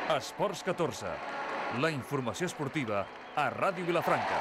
Esports 14, la informació esportiva a Ràdio Vilafranca.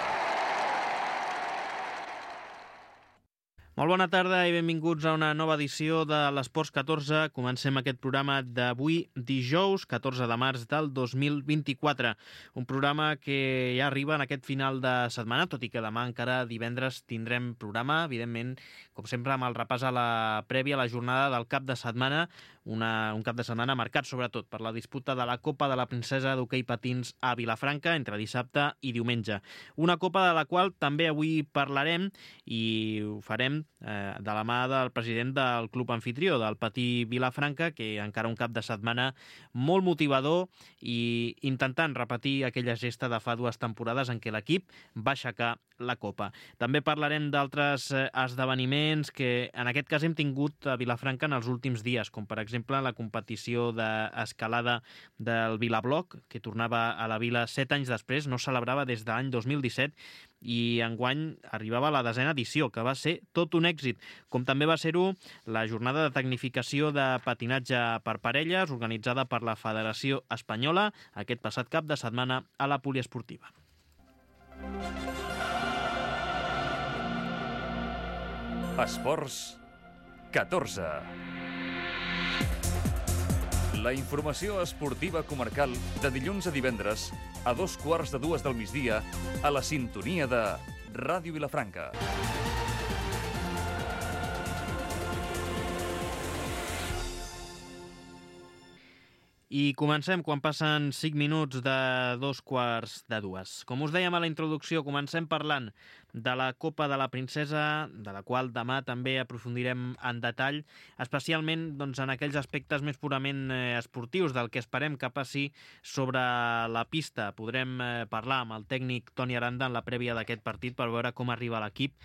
Molt bona tarda i benvinguts a una nova edició de l'Esports 14. Comencem aquest programa d'avui, dijous, 14 de març del 2024. Un programa que ja arriba en aquest final de setmana, tot i que demà encara divendres tindrem programa, evidentment, com sempre, amb el repàs a la prèvia a la jornada del cap de setmana, un cap de setmana marcat sobretot per la disputa de la Copa de la Princesa d'hoquei patins a Vilafranca entre dissabte i diumenge. Una Copa de la qual també avui parlarem i ho farem de la mà del president del club anfitrió, del Patí Vilafranca, que encara un cap de setmana molt motivador i intentant repetir aquella gesta de fa 2 temporades en què l'equip va aixecar la Copa. També parlarem d'altres esdeveniments que en aquest cas hem tingut a Vilafranca en els últims dies, com per exemple la competició d'escalada del Vilabloc, que tornava a la Vila 7 anys després, no celebrava des de l'any 2017 i enguany arribava a la 10a edició, que va ser tot un èxit, com també va ser-ho la jornada de tecnificació de patinatge per parelles organitzada per la Federació Espanyola aquest passat cap de setmana a la poliesportiva. Esports 14. La informació esportiva comarcal de dilluns a divendres a 2:15 del migdia a la sintonia de Ràdio Vilafranca. I comencem quan passen 5 minuts de 2:15. Com us dèiem a la introducció, comencem parlant de la Copa de la Princesa, de la qual demà també aprofundirem en detall, especialment doncs, en aquells aspectes més purament esportius, del que esperem que passi sobre la pista. Podrem parlar amb el tècnic Toni Aranda en la prèvia d'aquest partit per veure com arriba l'equip.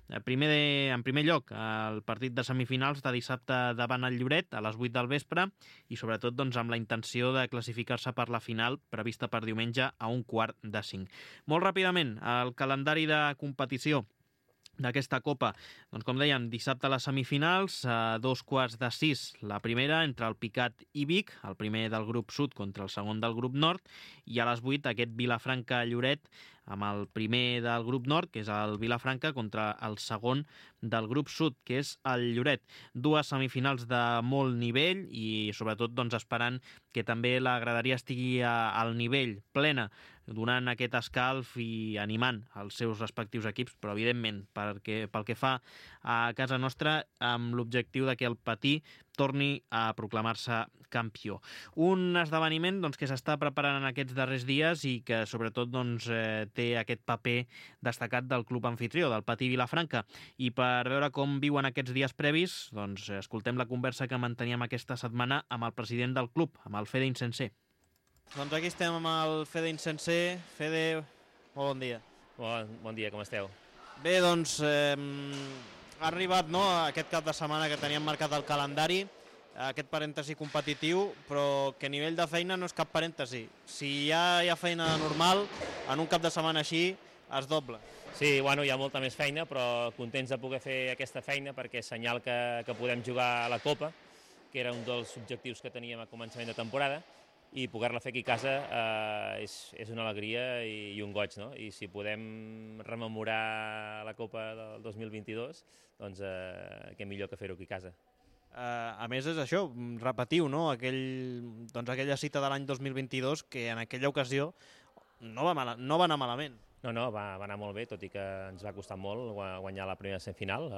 En primer lloc, el partit de semifinals de dissabte davant el Lloret a les 8 del vespre i sobretot doncs, amb la intenció de classificar-se per la final prevista per diumenge a 4:45. Molt ràpidament, el calendari de competició d'aquesta Copa. Doncs com dèiem, dissabte a les semifinals, a 2:15 la primera entre el Picat i Vic, el primer del grup sud contra el segon del grup nord, i a les 8 aquest Vilafranca-Lloret amb el primer del grup nord, que és el Vilafranca, contra el segon del grup sud, que és el Lloret. 2 semifinals de molt nivell i sobretot doncs, esperant que també la graderia estigui al nivell plena, donant aquest escalf i animant els seus respectius equips, però evidentment pel que fa a casa nostra amb l'objectiu de que el Patí torni a proclamar-se campió. Un esdeveniment doncs, que s'està preparant en aquests darrers dies i que sobretot doncs, té aquest paper destacat del club anfitrió, del Patí Vilafranca. I per veure com viuen aquests dies previs, doncs, escoltem la conversa que manteníem aquesta setmana amb el president del club, amb el Fede Insenser. Doncs aquí estem amb el Fede Insenser. Fede, molt bon dia. Bon dia, com esteu? Bé, doncs ha arribat aquest cap de setmana que teníem marcat el calendari, aquest parèntesi competitiu, però que a nivell de feina no és cap parèntesi. Si ja hi ha feina normal, en un cap de setmana així es dobla. Sí, bueno, hi ha molta més feina, però contents de poder fer aquesta feina perquè és senyal que podem jugar a la Copa, que era un dels objectius que teníem a començament de temporada, i poder-la fer aquí a casa és una alegria i un goig, no? I si podem rememorar la Copa del 2022, doncs què millor que fer-ho aquí a casa. A més és això, repetiu, no? Aquella cita de l'any 2022 que en aquella ocasió no va anar malament. No, va anar molt bé, tot i que ens va costar molt guanyar la primera semifinal.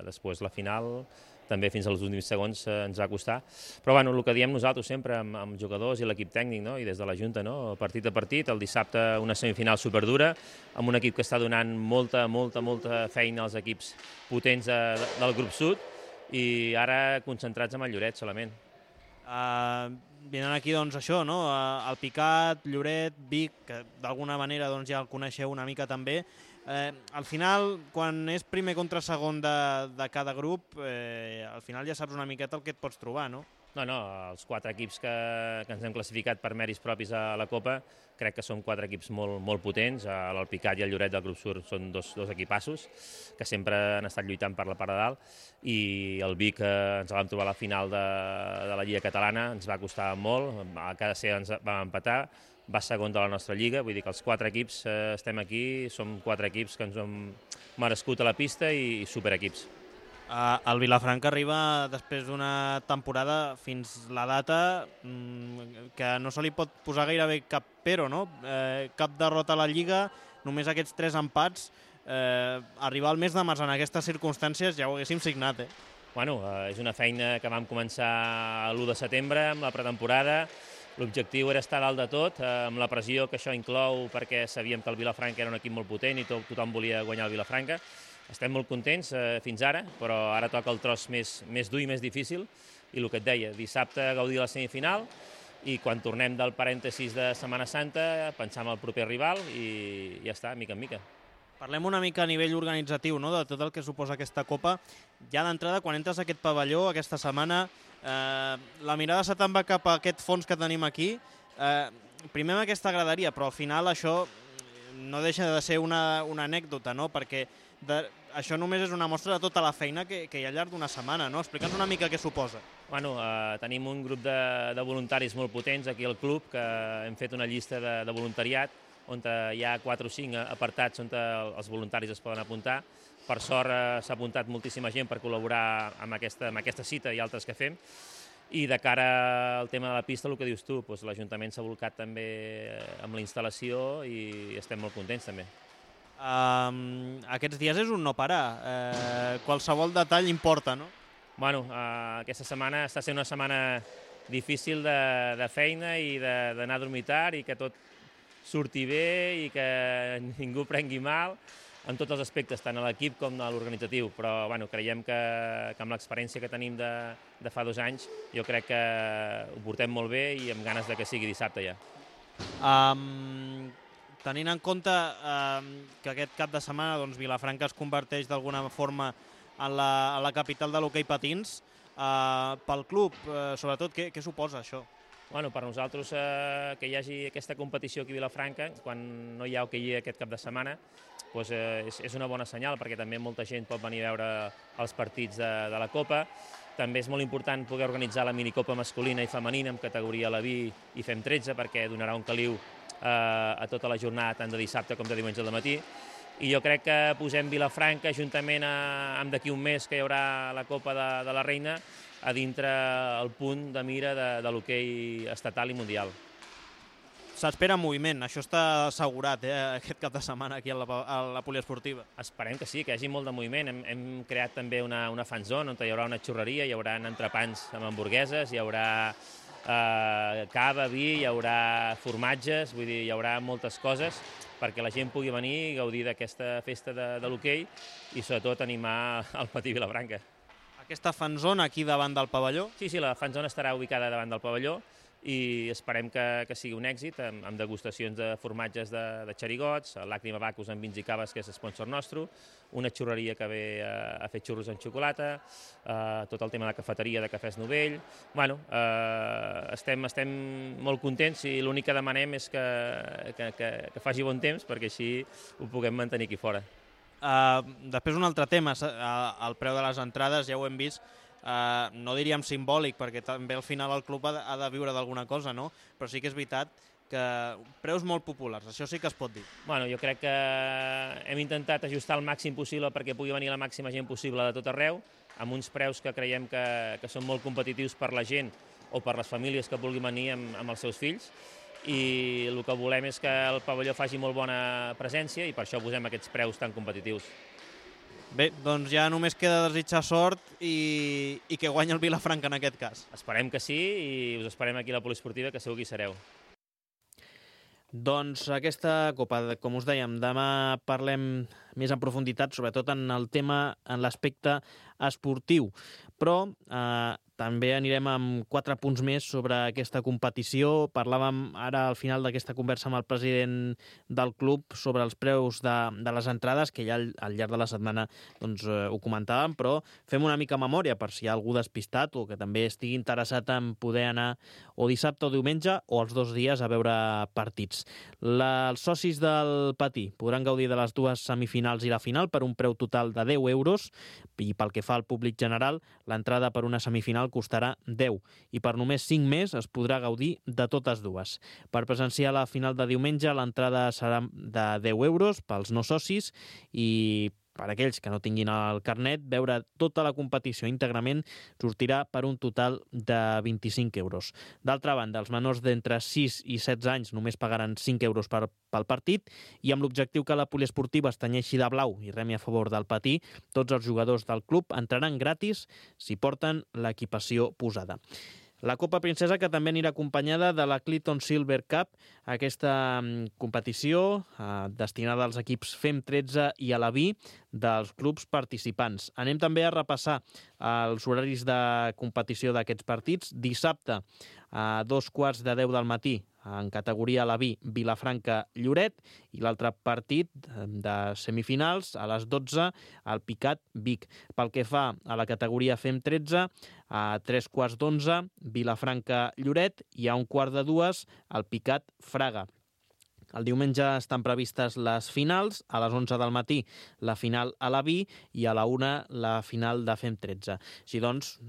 Després la final, també fins als últims segons ens va costar. Però bueno, el que diem nosaltres sempre amb jugadors i l'equip tècnic, no? I des de la Junta, no? Partit a partit, el dissabte una semifinal superdura, amb un equip que està donant molta feina als equips potents del grup sud i ara concentrats amb el Lloret solament. Venen aquí doncs això, no? El Picat, Lloret, Vic, que d'alguna manera doncs, ja el coneixeu una mica també. Al final, quan és primer contra segon de cada grup, al final ja saps una miqueta el que et pots trobar, no? No, els 4 equips que ens hem classificat per mèrits propis a la Copa, crec que són 4 equips molt potents. L'Alpicat i el Lloret del Grup Sur són dos equipassos que sempre han estat lluitant per la part de dalt, i el Vic ens el vam trobar a la final de la Lliga Catalana, ens va costar molt, a cada ser ens vam empatar, va segon de la nostra lliga, vull dir que els 4 equips estem aquí, som 4 equips que ens hem merescut a la pista i superequips. El Vilafranca arriba després d'una temporada fins la data que no se li pot posar gairebé cap pero, no? Cap derrota a la Lliga, només aquests 3 empats. Arribar al mes de març en aquestes circumstàncies ja ho haguéssim signat, Bueno, és una feina que vam començar l'1 de setembre amb la pretemporada. L'objectiu era estar dalt de tot, amb la pressió que això inclou, perquè sabíem que el Vilafranca era un equip molt potent i tothom volia guanyar el Vilafranca. Estem molt contents fins ara, però ara toca el tros més dur i més difícil, i el que et deia, dissabte gaudir la semifinal, i quan tornem del parèntesis de Setmana Santa pensar en el proper rival i ja està, mica en mica. Parlem una mica a nivell organitzatiu, no?, de tot el que suposa aquesta Copa. Ja d'entrada, quan entres a aquest pavelló aquesta setmana, la mirada se te'n va cap a aquest fons que tenim aquí. Primer amb aquesta graderia, però al final això no deixa de ser una anècdota, no?, perquè això només és una mostra de tota la feina que hi ha al llarg d'una setmana, no? Explica'ns una mica què suposa. Bueno, tenim un grup de voluntaris molt potents aquí al club, que hem fet una llista de voluntariat on hi ha 4 o 5 apartats on els voluntaris es poden apuntar. Per sort s'ha apuntat moltíssima gent per col·laborar amb aquesta cita i altres que fem. I de cara al tema de la pista, el que dius tu, l'Ajuntament s'ha volcat també amb la instal·lació i estem molt contents també. Aquests dies és un no parar. Qualsevol detall importa, no? Bueno, aquesta setmana està sent una setmana difícil de feina i d'anar a dormir tard i que tot surti bé i que ningú prengui mal en tots els aspectes, tant a l'equip com a l'organitzatiu, però bueno, creiem que amb l'experiència que tenim de fa 2 anys, jo crec que ho portem molt bé i amb ganes de que sigui dissabte ja. Tenint en compte que aquest cap de setmana Vilafranca es converteix d'alguna forma en la capital de l'hoquei patins, pel club, sobretot, què suposa això? Bueno, per nosaltres que hi hagi aquesta competició aquí a Vilafranca, quan no hi ha hoquei aquest cap de setmana, és una bona senyal, perquè també molta gent pot venir a veure els partits de la Copa. També és molt important poder organitzar la minicopa masculina i femenina amb categoria Leví i Fem 13, perquè donarà un caliu a tota la jornada, tant de dissabte com de diumenge al matí. I jo crec que posem Vilafranca, juntament amb d'aquí un mes que hi haurà la Copa de la Reina, a dintre el punt de mira de l'hoquei estatal i mundial. S'espera moviment, això està assegurat aquest cap de setmana aquí a la poliesportiva. Esperem que sí, que hi hagi molt de moviment. Hem creat també una fan zone on hi haurà una xurreria, hi haurà entrepans amb hamburgueses, hi haurà cava, vi, hi haurà formatges, vull dir, hi haurà moltes coses perquè la gent pugui venir i gaudir d'aquesta festa de l'hoquei i sobretot animar el Patí Vilafranca. Aquesta fanzona aquí davant del pavelló? Sí, la fanzona estarà ubicada davant del pavelló i esperem que sigui un èxit amb degustacions de formatges de xerigots, Làcrima Bacus amb vins i caves, que és sponsor nostre, una xurreria que ve a fer xurros amb xocolata, tot el tema de cafeteria de Cafès Novell. Bueno, estem molt contents i l'únic que demanem és que faci bon temps perquè així ho puguem mantenir aquí fora. Després un altre tema, el preu de les entrades, ja ho hem vist, no diríem simbòlic, perquè també al final el club ha de viure d'alguna cosa, no? Però sí que és veritat que preus molt populars, això sí que es pot dir. Bueno, jo crec que hem intentat ajustar el màxim possible perquè pugui venir la màxima gent possible de tot arreu, amb uns preus que creiem que són molt competitius per la gent o per les famílies que vulguin venir amb els seus fills, i el que volem és que el pavelló faci molt bona presència i per això posem aquests preus tan competitius. Bé, doncs ja només queda desitjar sort i que guanyi el Vilafranca en aquest cas. Esperem que sí i us esperem aquí a la poliesportiva, que segur que hi sereu. Doncs aquesta Copa, com us dèiem, demà parlem més en profunditat, sobretot en el tema, en l'aspecte esportiu. Però també anirem amb 4 punts més sobre aquesta competició. Parlàvem ara al final d'aquesta conversa amb el president del club sobre els preus de les entrades, que ja al llarg de la setmana doncs, ho comentàvem, però fem una mica memòria per si hi ha algú despistat o que també estigui interessat en poder anar o dissabte o diumenge o els 2 dies a veure partits. Els socis del Patí podran gaudir de les 2 semifinals i la final per un preu total de 10 euros i pel que fa al públic general, l'entrada per una semifinal costarà 10 i per només 5 més es podrà gaudir de totes dues. Per presenciar la final de diumenge, l'entrada serà de 10 euros pels no socis i per aquells que no tinguin el carnet, veure tota la competició íntegrament sortirà per un total de 25 euros. D'altra banda, els menors d'entre 6 i 16 anys només pagaran 5 euros pel partit i amb l'objectiu que la poliesportiva es tenyeixi de blau i remi a favor del Patí, tots els jugadors del club entraran gratis si porten l'equipació posada. La Copa Princesa, que també anirà acompanyada de la Clinton Silver Cup, aquesta competició destinada als equips FEM 13 i a la VI dels clubs participants. Anem també a repassar els horaris de competició d'aquests partits. Dissabte, a 2:15 del matí, en categoria la VI, Vilafranca-Lloret, i l'altre partit de semifinals a les 12 al Picat-Vic. Pel que fa a la categoria FEM 13, a 3:15, Vilafranca-Lloret, i a 1:15 al Picat-Fraga. El diumenge estan previstes les finals, a les 11 del matí la final a la VI i a la 1 la final de FEM 13. Així doncs,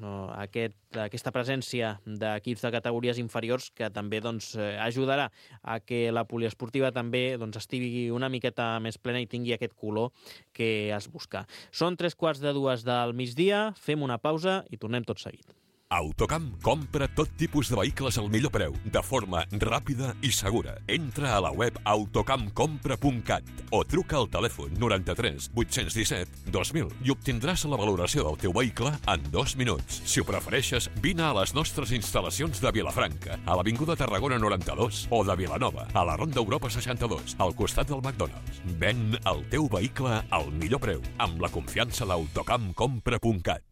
aquesta presència d'equips de categories inferiors que també ajudarà a que la poliesportiva també estigui una miqueta més plena i tingui aquest color que es busca. Són 3:15 del migdia, fem una pausa i tornem tot seguit. Autocamp compra tot tipus de vehicles al millor preu, de forma ràpida i segura. Entra a la web autocampcompra.cat o truca al telèfon 93 817 2000 i obtindràs la valoració del teu vehicle en 2 minuts. Si ho prefereixes, vine a les nostres instal·lacions de Vilafranca, a l'Avinguda Tarragona 92, o de Vilanova, a la Ronda Europa 62, al costat del McDonald's. Ven el teu vehicle al millor preu, amb la confiança d'autocampcompra.cat.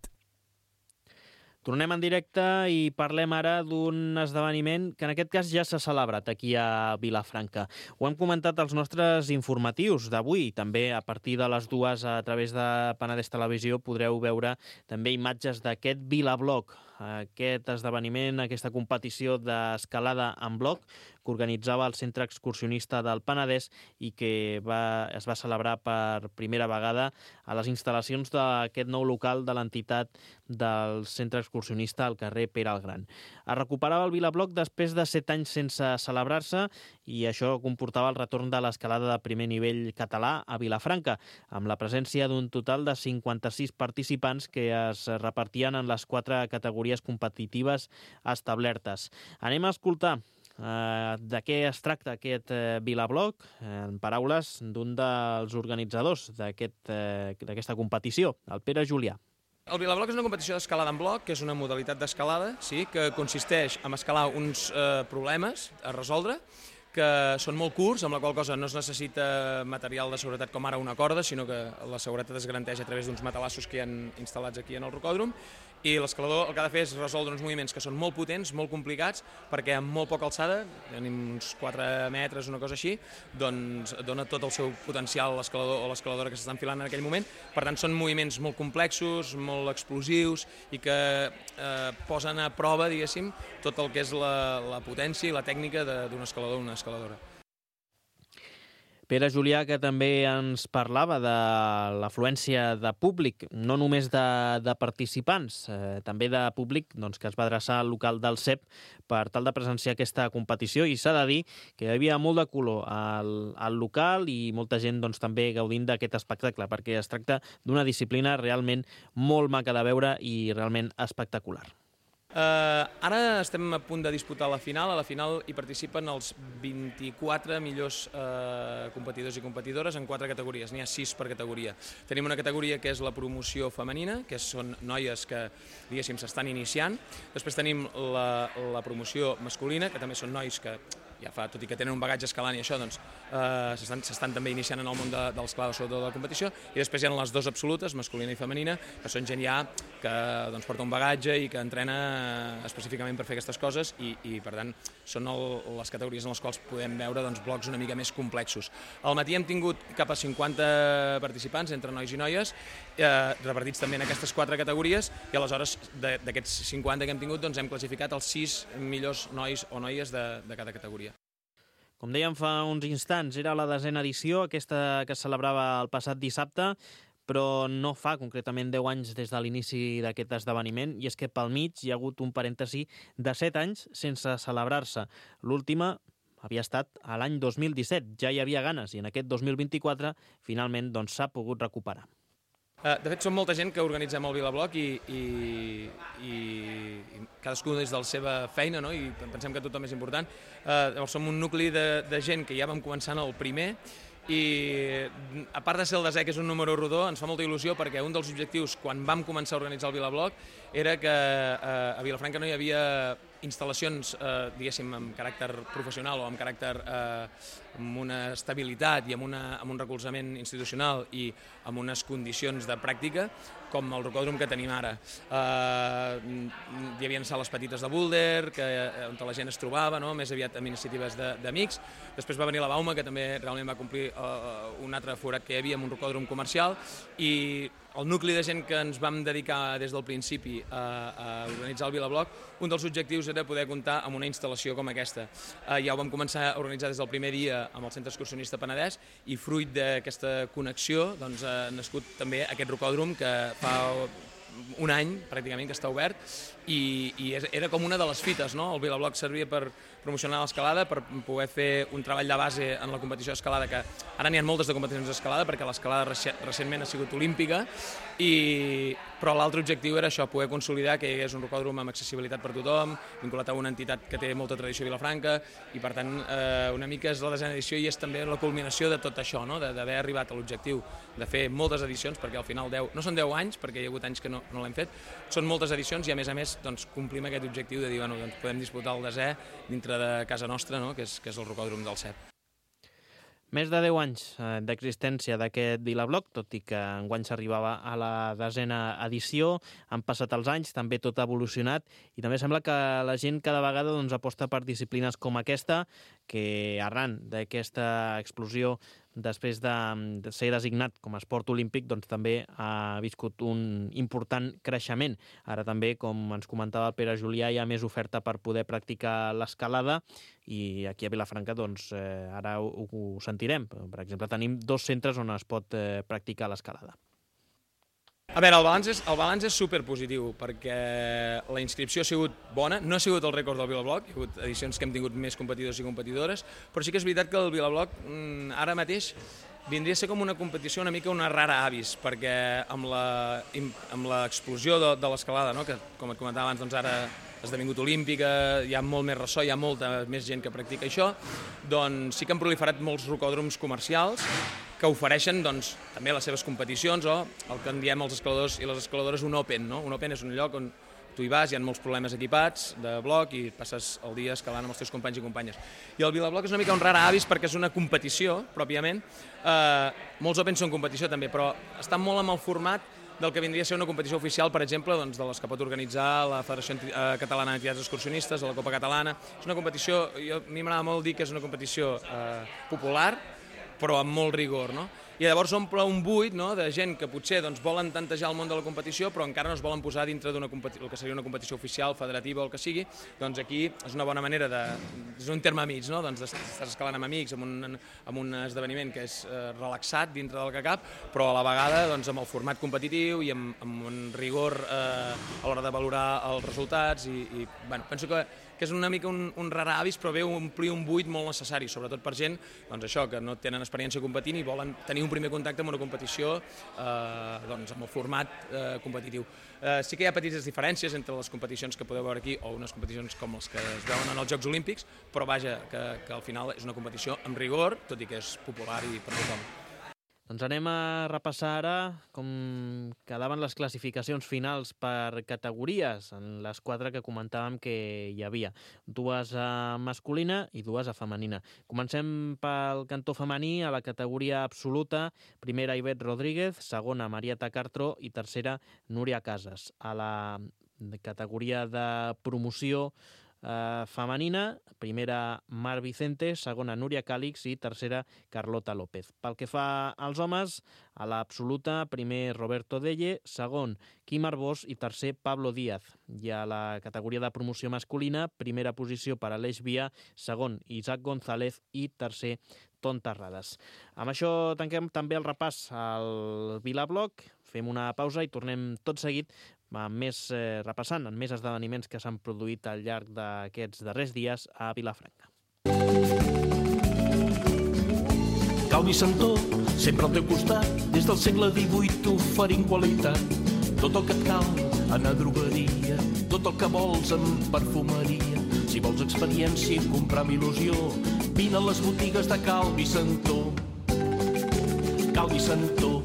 Tornem en directe i parlem ara d'un esdeveniment que en aquest cas ja s'ha celebrat aquí a Vilafranca. Ho hem comentat als nostres informatius d'avui. També a partir de les 2 a través de Penedès Televisió podreu veure també imatges d'aquest Vilabloc, aquest esdeveniment, aquesta competició d'escalada en bloc que organitzava el Centre Excursionista del Penedès i que es va celebrar per primera vegada a les instal·lacions d'aquest nou local de l'entitat del Centre Excursionista al carrer Pere el Gran. Es recuperava el Vilabloc després de 7 anys sense celebrar-se i això comportava el retorn de l'escalada de primer nivell català a Vilafranca, amb la presència d'un total de 56 participants que es repartien en les 4 categories competitives establertes. Anem a escoltar de què es tracta aquest Vilabloc, en paraules d'un dels organitzadors d'aquesta competició, el Pere Julià. El Vilabloc és una competició d'escalada en bloc, que és una modalitat d'escalada, sí, que consisteix en escalar uns problemes a resoldre, que són molt curts, amb la qual cosa no es necessita material de seguretat com ara una corda, sinó que la seguretat es garanteix a través d'uns matalassos que hi ha instal·lats aquí en el rocòdrom, i l'escalador el que ha de fer és resoldre uns moviments que són molt potents, molt complicats, perquè amb molt poca alçada, tenim uns 4 metres, una cosa així, doncs dona tot el seu potencial l'escalador o l'escaladora que s'està enfilant en aquell moment. Per tant, són moviments molt complexos, molt explosius i que posen a prova, diguéssim, tot el que és la potència i la tècnica d'un escalador o una escaladora. Pere Julià, que també ens parlava de l'afluència de públic, no només de participants, també de públic que es va adreçar al local del CEP per tal de presenciar aquesta competició, i s'ha de dir que hi havia molt de color al local i molta gent també gaudint d'aquest espectacle, perquè es tracta d'una disciplina realment molt maca de veure i realment espectacular. Ara estem a punt de disputar la final. A la final hi participen els 24 millors competidors i competidores en 4 categories. N'hi ha 6 per categoria. Tenim una categoria que és la promoció femenina, que són noies que, diguéssim, s'estan iniciant. Després tenim la promoció masculina, que també són nois que ja fa, tot i que tenen un bagatge escalant i això, doncs s'estan també iniciant en el món de l'escalada, sobretot de la competició, i després hi ha les 2 absolutes, masculina i femenina, que són gent ja que doncs, porta un bagatge i que entrena específicament per fer aquestes coses i per tant, són les categories en les quals podem veure doncs, blocs una mica més complexos. Al matí hem tingut cap a 50 participants, entre nois i noies, repartits també en aquestes 4 categories, i aleshores d'aquests 50 que hem tingut doncs, hem classificat els 6 millors nois o noies de cada categoria. Com dèiem fa uns instants, era la 10a edició, aquesta que es celebrava el passat dissabte, però no fa concretament 10 anys des de l'inici d'aquest esdeveniment, i és que pel mig hi ha hagut un parèntesi de 7 anys sense celebrar-se. L'última havia estat a l'any 2017, ja hi havia ganes, i en aquest 2024 finalment doncs, s'ha pogut recuperar. De fet, som molta gent que organitzem el Vilabloc i cadascú des de la seva feina, no? I pensem que tothom és important. Llavors som un nucli de gent que ja vam començar en el primer, i a part de ser el 10è, que és un número rodó, ens fa molta il·lusió perquè un dels objectius quan vam començar a organitzar el Vilabloc era que a Vilafranca no hi havia instal·lacions, diguéssim, amb caràcter professional o amb caràcter amb una estabilitat i amb un recolzament institucional i amb unes condicions de pràctica com el rocòdrom que tenim ara. Hi havia sales petites de búlder, on la gent es trobava, no? Més aviat amb iniciatives d'amics. Després va venir la Bauma, que també realment va complir un altre forat que hi havia amb un rocòdrom comercial, i el nucli de gent que ens vam dedicar des del principi a organitzar el Vilabloc, un dels objectius era poder comptar amb una instal·lació com aquesta. Ja ho vam començar a organitzar des del primer dia amb el Centre Excursionista Penedès, i fruit d'aquesta connexió doncs, ha nascut també aquest rocòdrom que fa un any pràcticament que està obert, i era com una de les fites, no? El Vilabloc servia per promocionar l'escalada, per poder fer un treball de base en la competició d'escalada, que ara n'hi ha moltes de competicions d'escalada perquè l'escalada recentment ha sigut olímpica, però l'altre objectiu era això, poder consolidar que hi hagués un rocòdrom amb accessibilitat per tothom, vinculat a una entitat que té molta tradició a Vilafranca, i per tant una mica és la 10a edició i és també la culminació de tot això, no? D'haver arribat a l'objectiu de fer moltes edicions, perquè al final no són 10 anys, perquè hi ha hagut anys que no l'hem fet, són moltes edicions, i a més doncs, complim aquest objectiu de dir, bueno, doncs podem disputar el 10è dintre de casa nostra, no? que és el rocòdrom del CEP. Més de 10 anys d'existència d'aquest Vilabloc, tot i que enguany s'arribava a la 10a edició, han passat els anys, també tot ha evolucionat, i també sembla que la gent cada vegada doncs, aposta per disciplines com aquesta, que arran d'aquesta explosió després de ser designat com a esport olímpic, doncs també ha viscut un important creixement. Ara també, com ens comentava el Pere Julià, hi ha més oferta per poder practicar l'escalada, i aquí a Vilafranca doncs, ara ho sentirem. Per exemple, tenim 2 centres on es pot practicar l'escalada. A veure, el balanç és superpositiu, perquè la inscripció ha sigut bona, no ha sigut el rècord del Vilabloc, hi ha hagut edicions que hem tingut més competidors i competidores, però sí que és veritat que el Vilabloc ara mateix vindria a ser com una competició una mica una rara avis, perquè amb l'explosió de l'escalada, no? Que com et comentava abans, doncs ara ha esdevingut olímpica, hi ha molt més ressò, hi ha molta més gent que practica això, doncs sí que han proliferat molts rocòdroms comercials que ofereixen doncs, també les seves competicions, o el que en diem els escaladors i les escaladores un open. No? Un open és un lloc on tu hi vas, hi ha molts problemes equipats de bloc i passes el dia escalant amb els teus companys i companyes. I el Vilabloc és una mica un rara avis perquè és una competició, pròpiament. Molts opens són competició també, però està molt amb el format del que vindria a ser una competició oficial, per exemple, doncs, de les que pot organitzar la Federació Catalana d'Entitats Excursionistes, de la Copa Catalana. És una competició, a mi m'agrada molt dir que és una competició popular, però amb molt rigor, no? I llavors omple un buit, no?, de gent que potser doncs, volen tantejar el món de la competició però encara no es volen posar dintre el que seria una competició oficial, federativa o el que sigui. Doncs aquí és una bona manera és un terme mig, no? Doncs estàs escalant amb amics, amb un esdeveniment que és relaxat dintre del que cap, però a la vegada doncs, amb el format competitiu i amb un rigor a l'hora de valorar els resultats i bueno, penso que és una mica un rara avis, però ve a omplir un buit molt necessari, sobretot per gent doncs això, que no tenen experiència competint i volen tenir un primer contacte amb una competició doncs amb el format competitiu. Sí que hi ha petites diferències entre les competicions que podeu veure aquí o unes competicions com les que es veuen en els Jocs Olímpics, però vaja, que al final és una competició amb rigor, tot i que és popular i per tothom. Doncs anem a repassar ara com quedaven les classificacions finals per categories, en les 4 que comentàvem que hi havia. 2 a masculina i 2 a femenina. Comencem pel cantó femení, a la categoria absoluta. Primera, Ivette Rodríguez, segona, Marieta Cartró i tercera, Núria Casas. A la categoria de promoció femenina, primera Mar Vicente, segona Núria Càlix i tercera Carlota López. Pel que fa als homes, a l'absoluta, primer Roberto Delle, segon Quim Arbós i tercer Pablo Díaz. I a la categoria de promoció masculina, primera posició per Aleix Via, segon Isaac González i tercer Ton Terrades. Amb això tanquem també el repàs al Vilabloc, fem una pausa i tornem tot seguit repassant en més esdeveniments que s'han produït al llarg d'aquests darrers dies a Vilafranca. Calvi Santó, sempre al teu costat, des del segle XVIII t'oferint qualitat. Tot el que et cal, anar a drogueria, tot el que vols en perfumeria. Si vols experiència i comprar amb il·lusió, vine a les botigues de Calvi Santó. Calvi Santó.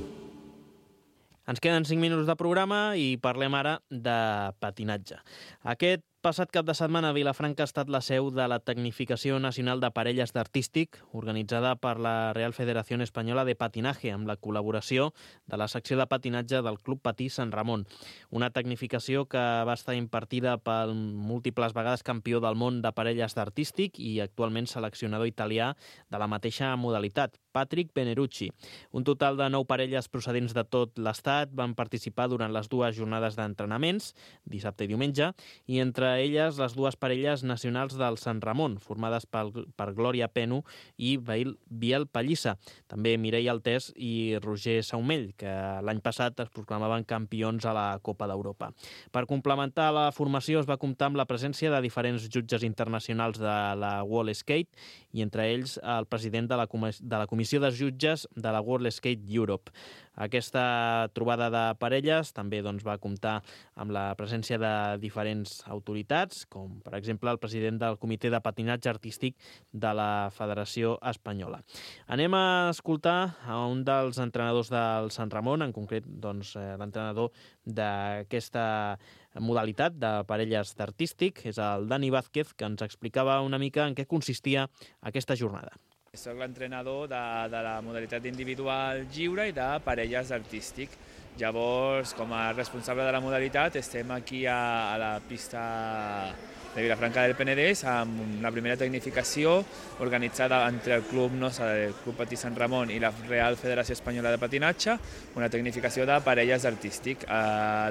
Ens queden 5 minuts de programa i parlem ara de patinatge. Aquest passat cap de setmana a Vilafranca ha estat la seu de la Tecnificació Nacional de Parelles d'Artístic, organitzada per la Real Federación Española de Patinaje, amb la col·laboració de la secció de patinatge del Club Patí Sant Ramon. Una tecnificació que va estar impartida pel múltiples vegades campió del món de parelles d'artístic i actualment seleccionador italià de la mateixa modalitat, Patrick Benerucci. Un total de 9 parelles procedents de tot l'estat van participar durant les 2 jornades d'entrenaments, dissabte i diumenge, i entre elles les 2 parelles nacionals del Sant Ramon, formades per Glòria Penu i Biel Pallissa, també Mireia Altés i Roger Saumell, que l'any passat es proclamaven campions a la Copa d'Europa. Per complementar la formació es va comptar amb la presència de diferents jutges internacionals de la World Skate i entre ells el president de la Comissió de Jutges de la World Skate Europe. Aquesta trobada de parelles també va comptar amb la presència de diferents autoritats, com per exemple el president del Comitè de Patinatge Artístic de la Federació Espanyola. Anem a escoltar a un dels entrenadors del Sant Ramon, en concret l'entrenador d'aquesta modalitat de parelles d'artístic, és el Dani Vázquez, que ens explicava una mica en què consistia aquesta jornada. Soc l'entrenador de la modalitat individual lliure i de parelles artístic. Llavors, com a responsable de la modalitat, estem aquí a la pista de Vilafranca del Penedès amb la primera tecnificació organitzada entre el Club NOSA, el Club Patí Sant Ramon i la Real Federació Espanyola de Patinatge, una tecnificació de parelles artístic.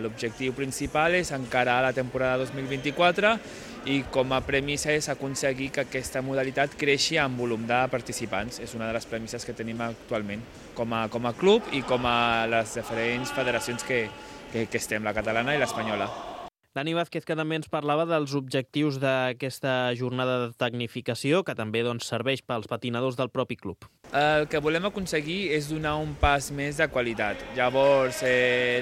L'objectiu principal és encarar la temporada 2024 i com a premissa és aconseguir que aquesta modalitat creixi en volum de participants. És una de les premisses que tenim actualment com a club i com a les diferents federacions que estem, la catalana i l'espanyola. Dani Vázquez, que també ens parlava dels objectius d'aquesta jornada de tecnificació, que també serveix pels patinadors del propi club. El que volem aconseguir és donar un pas més de qualitat. Llavors,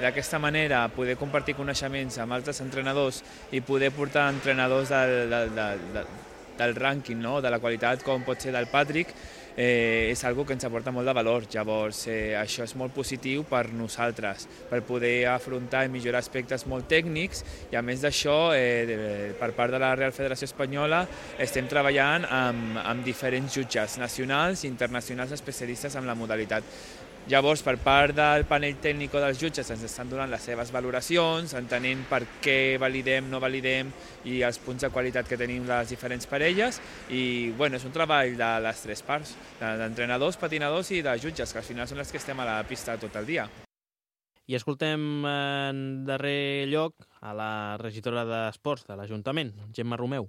d'aquesta manera, poder compartir coneixements amb altres entrenadors i poder portar entrenadors del rànquing, no? De la qualitat, com pot ser del Patrick, és algo que ens aporta molt de valor. Llavors, això és molt positiu per nosaltres, per poder afrontar i millorar aspectes molt tècnics, i a més d'això, per part de la Real Federació Espanyola, estem treballant amb diferents jutges nacionals i internacionals especialistes en la modalitat. Llavors, per part del panell tècnic dels jutges ens estan donant les seves valoracions, entenent per què validem, no validem i els punts de qualitat que tenim les diferents parelles. I és un treball de les 3 parts, d'entrenadors, patinadors i de jutges, que al final són les que estem a la pista tot el dia. I escoltem en darrer lloc a la regidora d'Esports de l'Ajuntament, Gemma Romeu.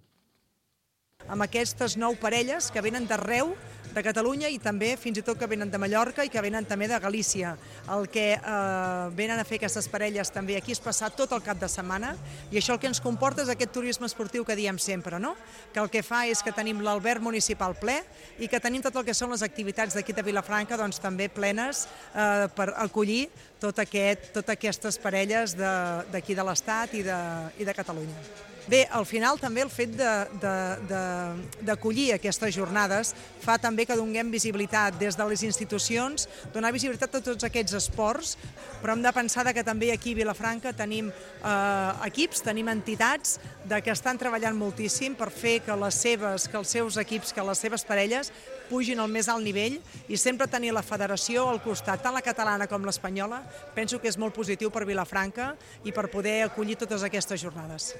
amb aquestes 9 parelles que venen d'arreu de Catalunya i també fins i tot que venen de Mallorca i que venen també de Galícia. El que venen a fer aquestes parelles també aquí és passar tot el cap de setmana i això el que ens comporta és aquest turisme esportiu que diem sempre, no? Que el que fa és que tenim l'alberg municipal ple i que tenim tot el que són les activitats d'aquí de Vilafranca doncs, també plenes per acollir totes aquestes parelles d'aquí de l'Estat i de Catalunya. Bé, al final també el fet d'acollir aquestes jornades fa també que donem visibilitat des de les institucions, donar visibilitat a tots aquests esports, però hem de pensar que també aquí a Vilafranca tenim equips, tenim entitats que estan treballant moltíssim per fer que els seus equips, que les seves parelles pugin al més alt nivell i sempre tenir la federació al costat, tant la catalana com l'espanyola, penso que és molt positiu per Vilafranca i per poder acollir totes aquestes jornades.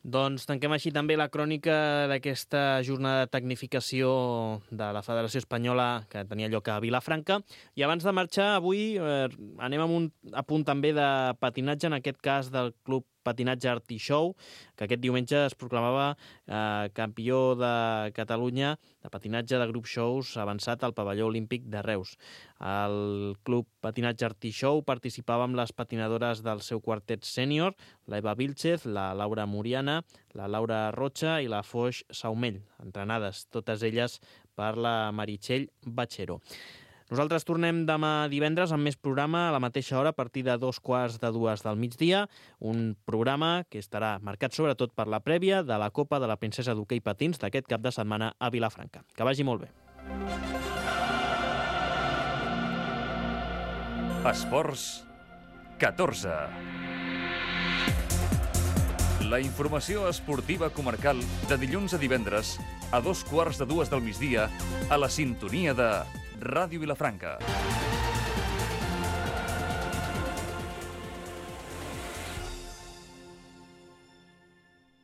Doncs tanquem així també la crònica d'aquesta jornada de tecnificació de la Federació Espanyola que tenia lloc a Vilafranca. I abans de marxar, avui anem amb un apunt també de patinatge, en aquest cas del Club Patinatge Artishow, que aquest diumenge es proclamava campió de Catalunya de patinatge de grup shows avançat al pavelló olímpic de Reus. El Club Patinatge Artishow participava amb les patinadores del seu quartet sènior, la Eva Vilchez, la Laura Muriana, la Laura Rocha i la Foix Saumell, entrenades totes elles per la Meritxell Batxero. Nosaltres tornem demà divendres amb més programa a la mateixa hora a partir de 2:15 del migdia, un programa que estarà marcat sobretot per la prèvia de la Copa de la Princesa d'Hoquei Patins d'aquest cap de setmana a Vilafranca. Que vagi molt bé. Esports 14. La informació esportiva comarcal de dilluns a divendres a 2:15 del migdia a la sintonia de Ràdio Vilafranca.